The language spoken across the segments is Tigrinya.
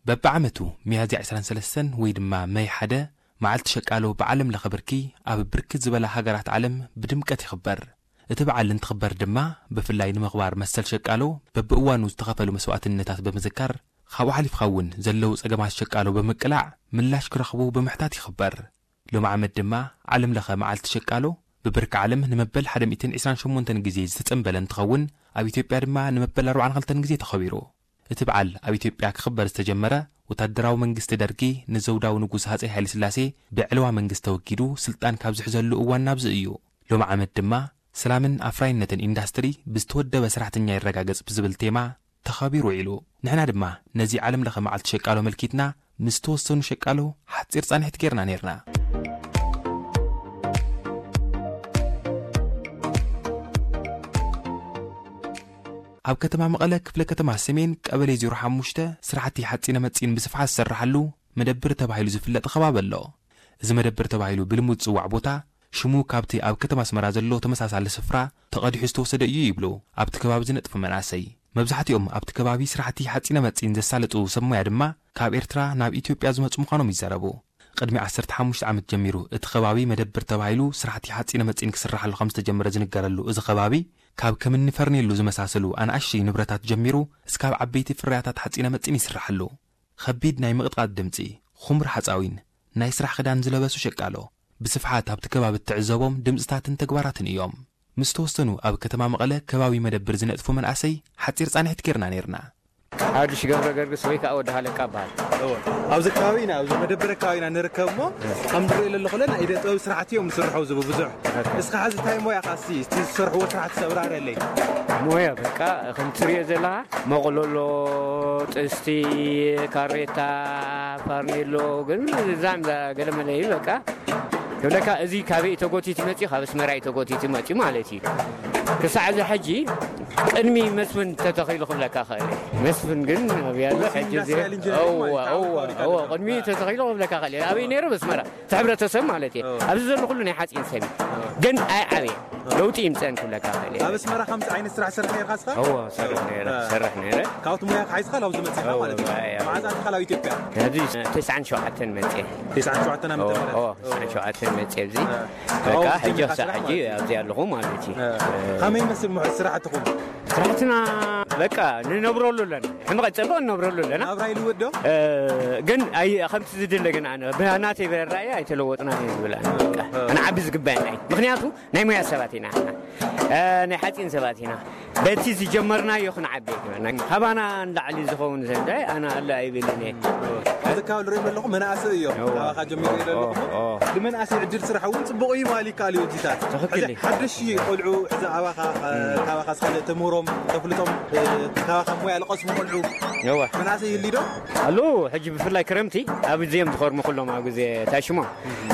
በብዓመቱ ሚያዝያ ዕስራን ሰለስተን ወይ ድማ መይ ሓደ፣ መዓልቲ ሸቃሎ ብዓለም ለኸ ብርኪ ኣብ ብርክት ዝበላ ሃገራት ዓለም ብድምቀት ይኽበር። እቲ በዓል እንትኽበር ድማ፣ ብፍላይ ንምኽባር መሰል ሸቃሎ በብእዋኑ ዝተኸፈሉ መስዋእትነታት ብምዝካር፣ ካብኡ ሓሊፍካ እውን ዘለዉ ጸገማት ሸቃሎ ብምቅላዕ ምላሽ ክረኽቡ ብምሕታት ይኽበር። ሎም ዓመት ድማ ዓለም ለኸ መዓልቲ ሸቃሎ ብብርኪ ዓለም ንመበል ሓደ ሚእትን ዕስራን ሸሞንተን ግዜ ዝተጸንበለ እንትኸውን፣ ኣብ ኢትዮጵያ ድማ ንመበል ኣርባዓን ክልተን ግዜ ተኸቢሩ። እቲ በዓል ኣብ ኢትዮጵያ ክኽበር ዝተጀመረ፣ ወታደራዊ መንግስቲ ደርጊ ንዘውዳዊ ንጉስ ሃጸይ ሃይለስላሴ ብዕልዋ መንግስቲ ተወጊዱ ስልጣን ካብ ዝሕዘሉ እዋን ናብዚ እዩ። ሎም ዓመት ድማ ሰላምን ኣፍራይነትን ኢንዳስትሪ ብዝተወደበ ሰራሕተኛ ይረጋገጽ ብዝብል ቴማ ተኸቢሩ ውዒሉ። ንሕና ድማ ነዚ ዓለም ለኸ መዓልቲ ሸቃሎ መልኪትና ምስ ተወሰኑ ሸቃሎ ሓጺር ጻንሒት ጌርና ኔርና። ኣብ ከተማ መቐለ ክፍለ ከተማ ሰሜን ቀበሌ ዜሮ ሓሙሽተ ስራሕቲ ሓጺነ መጺን ብስፍሓት ዝስርሓሉ መደብር ተባሂሉ ዝፍለጥ ከባቢ ኣሎ። እዚ መደብር ተባሂሉ ብልሙድ ዝጽዋዕ ቦታ ሽሙ ካብቲ ኣብ ከተማ ኣስመራ ዘሎ ተመሳሳሊ ስፍራ ተቐዲሑ ዝተወሰደ እዩ ይብሉ ኣብቲ ከባቢ ዝነጥፉ መናእሰይ። መብዛሕትኦም ኣብቲ ከባቢ ስራሕቲ ሓጺነ መጺን ዘሳልጡ ሰብ ሞያ ድማ ካብ ኤርትራ ናብ ኢትዮጵያ ዝመጹ ምዃኖም ይዛረቡ። ቅድሚ ዓሰርተ ሓሙሽተ ዓመት ጀሚሩ እቲ ከባቢ መደብር ተባሂሉ ስራሕቲ ሓጺነ መጺን ክስርሓሉ ከም ዝተጀመረ ዝንገረሉ እዚ ከባቢ፣ ካብ ከምኒ ፈርኔሎ ዝመሳሰሉ ኣናእሽተይ ንብረታት ጀሚሩ እስካብ ዓበይቲ ፍርያታት ሓጺነ መጺን ይስርሓሉ። ኸቢድ ናይ ምቕጥቃጥ ድምጺ፣ ኹምር ሓጻዊን ናይ ስራሕ ክዳን ዝለበሱ ሸቃሎ ብስፍሓት ኣብቲ ከባቢ እትዕዘቦም ድምጽታትን ተግባራትን እዮም። ምስ ተወሰኑ ኣብ ከተማ መቐለ ከባቢ መደብር ዝነጥፉ መናእሰይ ሓጺር ጻንሒት ጌርና ኔርና። ሓድሽ ገብረ ገርግስ ወይ ከዓ ወዲ ሃለቃ እበሃል። እወ። ኣብዚ ከባቢ ኢና፣ ኣብዚ መደበር ከባቢ ኢና ንርከብ እሞ፣ ከም ዝሪኦ ዘለኹ ናይ ኢደ ጥበብ ስራሕቲ እዮም ዝስርሑ፣ እዚ ብዙሕ። ኦኬ። እስኻ ሕዚ እንታይ ሞያኻ እስቲ፣ እቲ ዝሰርሕዎ ስራሕቲ ሰብራረለይ? ሞያ በቃ ከም ትሪኦ ዘለኻ መቕለሎ፣ ጥስቲ፣ ካሬታ፣ ፋርኔሎ፣ ግን እዛም ገለመለ እዩ በቃ። ክብለካ፣ እዚ ካበይ ተጎቲቱ መፂኡ? ካብ ኣስመራ እዩ ተጎቲቱ መፂኡ ማለት እዩ። ክሳዕ እዚ ሕጂ ቅድሚ መስፍን ተተኺሉ ክብለካ ኽእል እየ። መስፍን ግን ኣብያ ኣሎ፣ ሕጂ እዚ ኢንዱስትሪያል ኢንጂነሪንግ እወ፣ ማለት እወ፣ ፋብሪካ እወ፣ ኣሎ። ቅድሚ ተተኺሉ ክብለካ ኽእል እየ። ኣበይ ነይሩ? ኣስመራ። እቲ ሕብረተሰብ ማለት እየ። እወ። ኣብዚ ዘሎ ኩሉ ናይ ሓፂን ሰብ እዩ። እወ። ግን ኣይዓበየ። እወ። ለውጢ ይምፀን ክብለካ ኽእል እየ። ኣብ ኣስመራ ከምዚ ዓይነት ስራሕ ሰርሕ ነርካ እስኻ? እወ፣ ሰርሕ ነይረ፣ እወ። ሰርሕ ነይረ። ካብቲ ሞያ ክሓይዝካ ናብዚ መፂኻ እወ፣ ማለት እዩ። እወ፣ እወ። መዓዝ ኣቲኻ ናብ ኢትዮጵያ? ኣብዚ ተስዓን ሸውዓተን መፅየ። ተስዓን ሸውዓተን ዓመተ እወ፣ ምህረት? እወ፣ ተስዓን ሸውዓተን መፅየ ኣብዚ። እወ። በቃ፣ ካብኡ ሕጂ ጀሚርካ ክሳዕ ስራሕ ሕጂ ማለት እዩ። ኣብዚ ኣለኹ ማለት እዩ። እ፣ ከመይ ይመስል ምሕረት ስራሕትኹም? ስራሕትና በቃ ንነብረሉ ኣለና። ሕመቐ ጸብቕ ንነብረሉ ኣለና። ናብራ ይልወጥ ዶ? እ፣ ግን ኣይ-፣ ከምቲ ዝድለ ግን ኣነ ብናተይ በራእየ ኣይተለወጥናን እየ ዝብል ኣነ። በቃ፣ እ። ክንዓቢ ዝግባየና እዩ። ምኽንያቱ ናይ ሞያ ሰባት ኢና ንሕና። እ፣ ናይ ሓጺን ሰባት ኢና። በቲ ዝጀመርናዮ ክንዓቢ ኣይግበና። ካባና ንላዕሊ ዝኸውን ዘንዳይ ኣነ ኣለ ኣይብልን እየ። እዚ ካብ ንሪኦም ኣለኹ መናእሰይ እዮም። እዋ። ካባኻ ጀሚሩ ይርኢ ኣለኹ። ኦ፣ ኦ። ንመናእሰይ ዕድል ስራሕ እውን ጽቡቕ እዩ ማለት ይከኣል እዩ እዚታት። ትኽክል ሕዚ እዩ። ሓደሽ ቆልዑ ሕዚ ኣባኻ፣ እ፣ እም። ካባኻ ዝኸደ ተምህሮም፣ ተፍልጦም፣ እ፣ ካባኻ ሞያ ዝቐስሙ ቆልዑ እዋ። መናእሰይ ይህልዩ ዶ? ኣለዉ። ሕጂ ብፍላይ ክረምቲ ኣብ እዚኦም ዝኸርሙ ኩሎም ኣብ ግዜ ታሽሞ።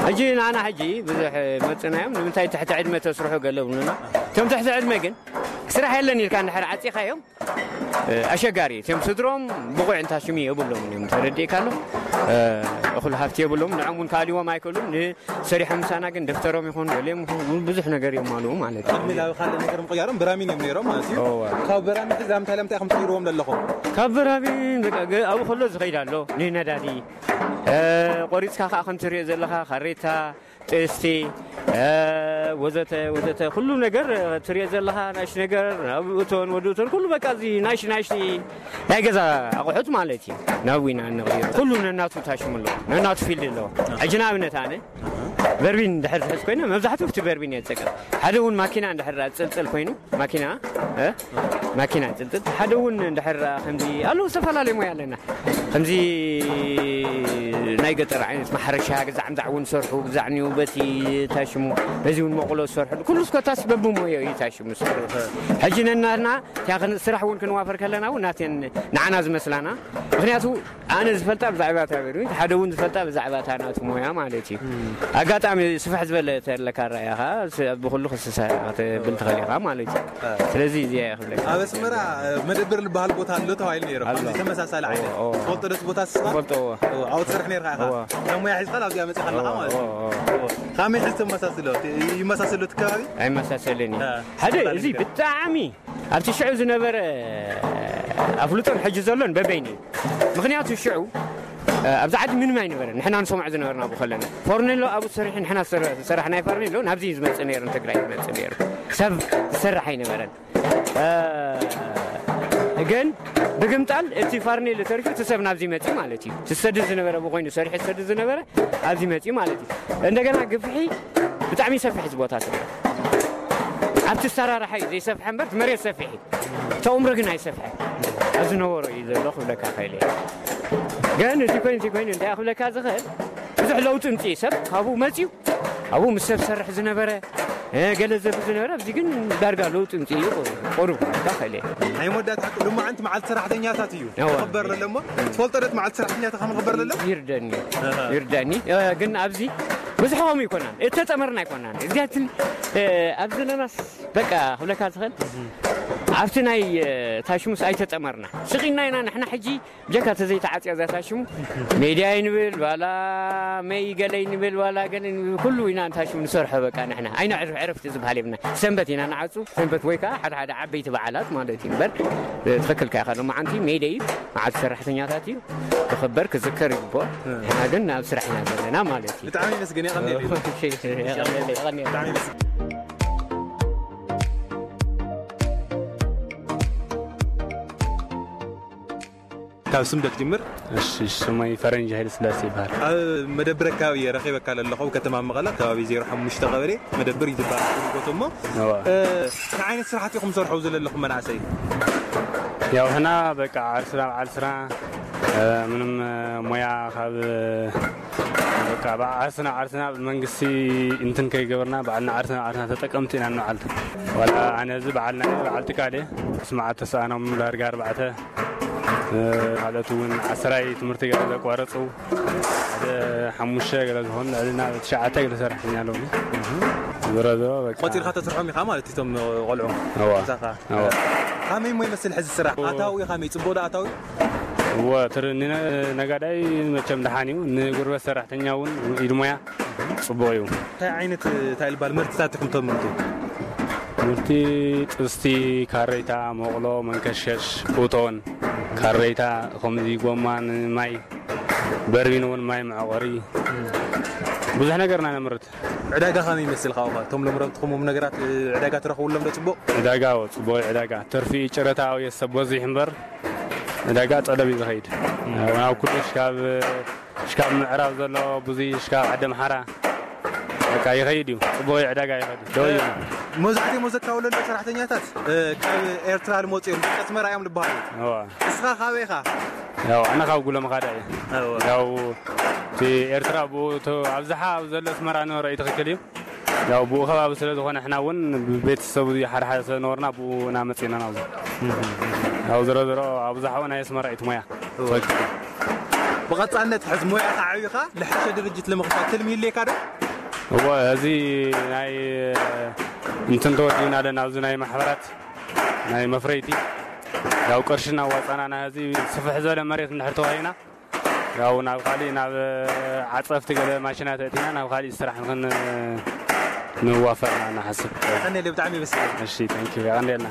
ሕጂ ንዓና ሕጂ ብዙሕ መጽእና እዮም። ንምንታይ ትሕቲ ዕድመ ተስርሑ ገለ ብሉና። እቶም ትሕቲ ዕድመ ግን ስራሕ የለን ኢልካ እንድሕር ዓጺኻዮም፣ እ፣ ኣሸጋሪ እዩ። እቶም ስድሮም ብቑዕ እንታ ሽሙ የብሎምን እዮም፣ ተረዲእካ ኣሎ። እ፣ እኹል ሃፍቲ የብሎም፣ ንዖም እውን ካልዎም ኣይክእሉን። ንሰሪሖም ምሳና ግን ደፍተሮም ይኹን ገሊኦም ይኹን ብዙሕ ነገር የማልኡ ማለት እዩ። ቅድሚ ናብ ካልእ ነገር ምቕያሮም ብራሚን እዮም ነይሮም ማለት እዩ። እወ። ካብ ብራሚን ሕዚ ኣብ እንታይ ለምታይ ከም ትቕይርዎም ዘለኹም? ካብ ብራሚን በቃ ገ-፣ ኣብኡ ከሎ ዝኸይድ ኣሎ፣ ንነዳዲ፣ እ፣ ቆሪጽካ ከኣ ከም ትሪኦ ዘለኻ ካሬታ፣ ጥስቲ፣ እ፣ ወዘተ፣ ወዘተ፣ ኩሉ ነገር፣ እ፣ ትሪኦ ዘለኻ ናሽ ነገር፣ ናብ እቶን፣ ወዲ እቶን፣ ኩሉ በቃ እዚ ናሽ፣ ናሽ ናይ ገዛ ኣቑሑት ማለት እዩ። ናብ ዊና እንቕይሮ። ኩሉ ነናቱ ታሽሙ ኣለዎ፣ ነናቱ ፊልድ ኣለዎ። ሕጂ ንኣብነት ኣነ በርቢን እንድሕር ዝሕዝ ኮይነ፣ መብዛሕትኡ ኣብቲ በርቢን እየ ዝጥቀም። ሓደ እውን ማኪና እንድሕር ኣንጸልጸል ኮይኑ፣ ማኪና፣ እ? ማኪና ጽልጽል። ሓደ እውን እንድሕር ከምዚ ኣለዉ፣ ዝተፈላለዩ ሞያ ኣለና። ከምዚ ናይ ገጠር ዓይነት ማሕረሻ፣ ግዛዕ ምዛዕ እውን ሰርሑ፣ ግዛዕ ኒው በቲ ታሽሙ፣ በዚ እውን መቑሎ ዝሰርሑ። ኩሉ እስኮታስ በብሞዮ እዩ ታሽሙ ዝሰርሑ። ሕጂ ነናትና እቲኣ ክን-፣ ስራሕ እውን ክንዋፈር ከለና እውን ናተን ንዓና ዝመስላና። ምኽንያቱ ኣነ ዝፈልጣ ብዛዕባ እታ በርቢን፣ ሓደ እውን ዝፈልጣ ብዛዕባ እታ ናቱ ሞያ ማለት እዩ። እም። ኣጋጣሚ ስፍሕ ዝበለ ተለካ ረኣያኻ፣ ስ-፣ ብኹሉ ክስሳ ክትብል ትኽእል ኢኻ ማለት እዩ። እ። ስለዚ እዚኣ እየ ክብለካ። ኣብ ኣስመራ፣ እ፣ መደብር ዝበሃል ቦታ ኣሎ ተባሂሉ ነይሩ። ኣሎ። ከምዚ ተመሳሳሊ ዓይነት። እዎ፣ እዎ። ትፈልጦ ዶ እቲ ቦታ ንስኻ? እፈልጦ፣ እዎ። እዎ፣ ኣብኡ ትሰርሕ ነይርካ ኢኻ? እዎ። ካብ ሞያ ሒዝካ ኣብዚኣ መጺኻ ኣለኻ እዎ፣ ማለት እዩ። እዎ፣ እዎ። እዎ። ከመይ ሕዚ ተመሳስሎ? ይመሳሰሎ እቲ ከባቢ? ኣይመሳሰልን እዩ። እ፣ ሓደ፣ ተመሳሳሊ እዚ ነገር። ብጣዕሚ ኣብቲ ሽዑ ዝነበረ ኣፍልጦን ሕጂ ዘሎን በበይኑ እዩ። ምኽንያቱ ሽዑ፣ እ፣ ኣብዚ ዓዲ ምንም ኣይነበረን። ንሕና ንሰምዖ ዝነበርና ብኡ ከለና። ፎርኔሎ ኣብኡ ሰሪሑ፣ ንሕና ዝሰረ-፣ ዝሰራሕናዮ ፎርኔሎ ናብዚ እዩ ዝመጽእ ነይሩ፣ ንትግራይ ዝመጽእ ነይሩ። ሰብ ዝሰርሕ ኣይነበረን። እ፣ ግን ብግምጣል እቲ ፋርኔሎ ተሪፉ እቲ ሰብ ናብዚ መጺኡ ማለት እዩ። ዝሰድድ ዝነበረ ብኮይኑ ሰሪሑ ዝሰድድ ዝነበረ ኣብዚ መጺኡ ማለት እዩ። እንደገና ግፍሒ ብጣዕሚ ሰፊሕ እዚ ቦታ ስለ ኣብቲ ኣሰራርሓ እዩ ዘይሰፍሐ እምበር እቲ መሬት ሰፊሕ እዩ። እቲ ኣእምሮ ግን ኣይሰፍሐ። ኣብዚ ነበሮ እዩ ዘሎ ክብለካ ክእል እየ። ግን እቲ ኮይኑ እቲ ኮይኑ እንታይ ክብለካ ዝኽእል ብዙሕ ለውጢ ምጽኢ ሰብ ካብኡ መጺኡ ኣብኡ ምስ ሰብ ሰርሕ ዝነበረ እ፣ ገለ ዘብል ዝነበረ ኣብዚ ግን ዳርጋ ለውጢ ምጽእ እዩ። ቁሩብ ክብለካ ክእል እየ። ናይ መወዳእታ ሓቂ ሎማዓንቲ መዓልቲ ሰራሕተኛታት እዩ። እወ። ክኽበር ለሎ እሞ፣ ትፈልጦ ዶ እቲ መዓልቲ ሰራሕተኛታት ከም ክኽበር ለሎ? ይርደኒ። ኣሃ። ይርደኒ። እ፣ ግን ኣብዚ ብዙሕ ከምኡ ኣይኮናን። እተጠመርና ኣይኮናን። እዚኣትን፣ እ፣ ኣብ ዘለናስ በቃ ክብለካ ዝኽእል ኣብቲ ናይ፣ እ፣ ታሽሙስ ኣይተጠመርና። ስቕ ኢልና ኢና ንሕና ሕጂ ብጀካ ተዘይተዓጽያ እዛ ታሽሙ ሜድያ ይንብል፣ ዋላ መይ ገለ ይንብል፣ ዋላ ገለ ይንብል፣ ኩሉ ኢና ንታሽሙ ንሰርሖ በቃ ንሕና። ኣይነዕርፍ ዕረፍቲ ዝበሃል የብልና። ሰንበት ኢና ንዓጹ፣ ሰንበት ወይ ከኣ ሓደ ሓደ ዓበይቲ በዓላት ማለት እዩ እምበር፣ ትኽክል ከኣ ኢኻ። ሎማዓንቲ ሜይ ደይ እዩ፣ መዓልቲ ሰራሕተኛታት እዩ፣ ክኽበር ክዝከር ይግብኦ። ንሕና ግን ኣብ ስራሕ ኢና ዘለና ማለት እዩ። ብጣዕሚ የመስግን፣ የቐንየለይ። እሺ፣ እሺ፣ የቐንየለይ፣ የቐንየለይ። ብጣዕሚ የመስግን። ካብ ስም ዶ ክጅምር? እሺ፣ ስመይ ፈረንጂ ሃይለ ስላሴ ይበሃል። ኣብ መደብር ኣካባቢ እየ ረኺበካ ዘለኹ፣ ኣብ ከተማ መቐለ፣ ከባቢ ዜሮ ሓሙሽተ ቀበሌ መደብር እዩ ዝበሃል እቲ ቦታ እሞ፣ እዋ። እ፣ እንታይ ዓይነት ስራሕቲ ኢኹም ትሰርሑ ዘለኹም መናእሰይ? ያው፣ ሕና በቃ ዓርስና በዓል ስራ፣ እ፣ ምንም፣ እ፣ ሞያ ካብ፣ እ፣ በቃ፣ ብዓርስና ዓርስና ብመንግስቲ እንትን ከይገበርና፣ ባዕልና ዓርስና ዓርስና ተጠቀምቲ ኢና ንውዓል። ዋላ ኣነ እዚ በዓልና እየ፣ በዓል ጥቃል እየ። ስምዓት ተሰኣኖም ዳርጋ ኣርባዕተ፣ እ፣ ካልኦት እውን ዓስራይ ትምህርቲ ገለ ዘቋረጹ፣ ሓደ ሓሙሽተ ገለ ዝኾኑ፣ ልዕልና ትሽዓተ ገለ ሰራሕተኛ ኣለውኒ። ዞሮ ዞሮ በቃ። ቆጺርካ ተስርሖም ኢኻ ማለት እቶም ቆልዑ? እዋ። ምሳኻ? እዋ። ከመይ እሞ ይመስል ሕዚ ስራሕ? እዎ። ኣታዊ ከመይ? ጽቡቕ ዶ ኣታዊ? እወ፣ ትር-፣ ንነ-፣ ነጋዳይ መቸም ደሓን እዩ። ንጉልበት ሰራሕተኛ እውን ኢድ ሞያ ጽቡቕ እዩ። እንታይ ዓይነት፣ እንታይ ይባል ምህርትታት ኢኹም ተምርቱ? ምህርቲ ጥስቲ፣ ካረይታ፣ መቑሎ፣ መንከሽከሽ፣ ኡቶን፣ ካረይታ፣ ከምዚ ጎማ ንማይ፣ በርቢን እውን ማይ መዕቆሪ፣ ብዙሕ ነገርና ነምርት። ዕዳጋ ከመይ ይመስል? ካብኡ እቶም ለምረትኹም ነገራት፣ እ፣ ዕዳጋ ትረኽብሎም ዶ ጽቡቕ? ዕዳጋ፣ ኣዎ፣ ጽቡቕ ዕዳጋ። ትርፊ ጨረታ፣ ኣዎ፣ የሰብ በዚሕ እምበር፣ ዕዳጋ ጠለብ እዩ ዝኸይድ። እም። ናብ ኩሉ፣ ሽካብ፣ ሽካብ ምዕራብ ዘሎ ብዙይ፣ ሽካብ ዓዲ ኣምሓራ፣ በቃ፣ ይኸይድ እዩ። ጽቡቕ ዕዳጋ ይኸይድ እዩ። ደው እዩ። መብዛሕትኦም ዘካውለሉ ሰራሕተኛታት፣ እ፣ ካብ ኤርትራ ዝመጹ እዮም። ደቂ ኣስመራ እዮም ዝበሃሉ። እዋ። ንስኻ ካበይ ኢኻ? ያው፣ ኣነ ካብ ጉሎ መኻዳ እየ። እዋ። ያው፣ እቲ ኤርትራ ብኡ፣ እቲ ኣብዝሓ ኣብ ዘሎ ኣስመራ ንበሮ እዩ፣ ትኽክል እዩ። ያው፣ ብኡ ከባቢ ስለ ዝኾነ፣ ሕና እውን ብቤተሰቡ ሓደ ሓደ ስለ ነበርና፣ ብኡ ኢና መጺእና ናብዚ። ያው፣ ዝሮ ዝሮ ኣብዝሓኡ ናይ ኣስመራ እዩ እቲ ሞያ። እዋ። ትኽክል። ብቐጻልነት ሕዚ ሞያኻ ዓብኻ፣ ልሕሸ ድርጅት ንምኽፋት ትልሚ ይልየካ ዶ? እወ፣ እዚ ናይ እንትን ተወዲብና ኣለና፣ ኣብዚ ናይ ማሕበራት ናይ መፍረይቲ። ያው፣ ቅርሺ እናዋጻና፣ ናይ እዚ ስፍሕ ዝበለ መሬት እንድሕር ተዋሂና፣ ያው፣ ናብ ካሊእ፣ ናብ ዓጸፍቲ ገለ ማሽናት ኣእቲና፣ ናብ ካሊእ ስራሕ ንኽን-፣ ንዋፈር ኢና ንሓስብ። ቀንደለ ብጣዕሚ የመስግን። እሺ፣ thank you። የቐንደልና።